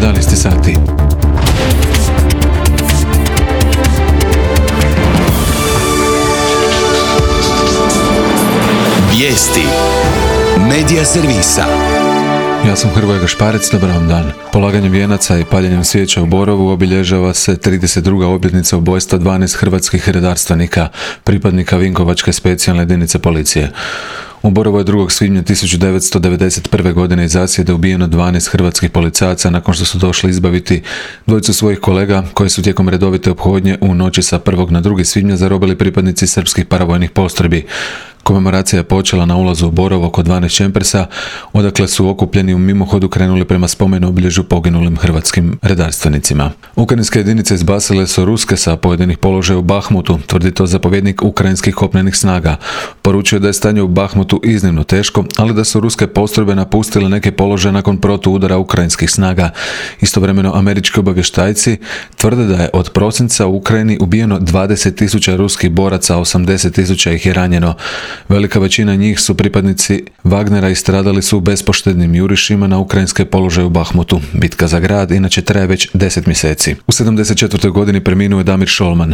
11 sati. Vijesti Medija servisa. Ja sam Hrvoje Gašparec, dobar vam dan. Polaganjem vijenaca i paljenjem svijeća u Borovu obilježava se 32. obljetnica ubojstva 12 hrvatskih redarstvenika, pripadnika Vinkovačke specijalne jedinice policije. U Borovu je 2. svibnja 1991. godine iz zasjede ubijeno 12 hrvatskih policajaca nakon što su došli izbaviti dvojicu svojih kolega koji su tijekom redovite ophodnje u noći sa 1. na 2. svibnja zarobili pripadnici srpskih paravojnih postrojbi. Komemoracija je počela na ulazu u Borovo oko 12 čemprsa, odakle su okupljeni u mimohodu krenuli prema spomenu obilježju poginulim hrvatskim redarstvenicima. Ukrajinske jedinice izbacile su ruske sa pojedinih položaja u Bahmutu, tvrdi to zapovjednik ukrajinskih kopnenih snaga. Poručuje da je stanje u Bahmutu iznimno teško, ali da su ruske postrojbe napustile neke položaje nakon protuudara ukrajinskih snaga. Istovremeno američki obavještajci tvrde da je od prosinca u Ukrajini ubijeno 20.000 ruskih boraca, a 80.000 ih je ranjeno. Velika većina njih su pripadnici Wagnera i stradali su u bespoštednim jurišima na ukrajinske položaje u Bahmutu. Bitka za grad inače traje već 10 mjeseci. U 74. godini preminuo je Damir Šolman.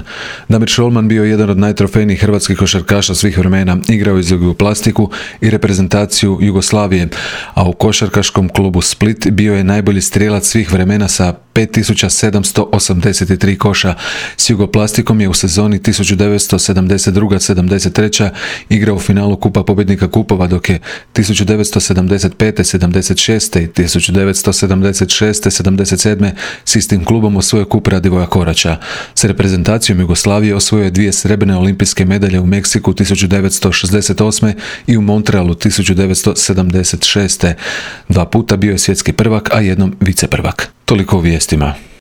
Damir Šolman bio je jedan od najtrofejnijih hrvatskih košarkaša svih vremena, igrao je za Jugoplastiku i reprezentaciju Jugoslavije, a u košarkaškom klubu Split bio je najbolji strijelac svih vremena sa 5783 koša. S Jugoplastikom je u sezoni 1972-73 igrao u finalu Kupa pobjednika kupova, dok je 1975-76 i 1976-77 s istim klubom osvojio kup Radivoja Koraća. S reprezentacijom Jugoslavije osvojio je 2 srebrne olimpijske medalje u Meksiku 1968. i u Montrealu 1976. 2 puta bio je svjetski prvak, a jednom viceprvak. Toliko u vijestima.